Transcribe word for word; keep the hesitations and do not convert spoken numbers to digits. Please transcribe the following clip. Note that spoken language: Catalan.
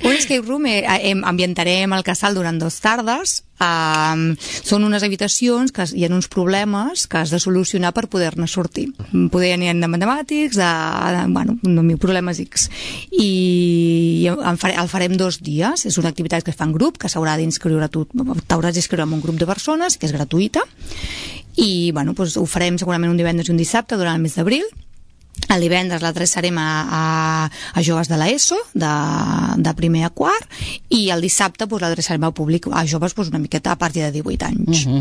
Un escape room eh, eh, ambientarem el casal durant dues tardes. Um, són unes habitacions que hi ha uns problemes que has de solucionar per poder-ne sortir. Poder n'hi ha de matemàtics, de, de bueno, mil problemes X. I el, fare, el farem dos dies. És una activitat que es fa en grup, que s'haurà d'inscriure tu, t'hauràs d'inscriure en un grup de persones, que és gratuïta. I bueno, doncs ho farem segurament un divendres i un dissabte durant el mes d'abril. El divendres l'adreçarem a, a, a joves de l'ESO, de, de primer a quart, i el dissabte doncs, l'adreçarem al públic, a joves doncs, una miqueta a partir de divuit anys. Uh-huh.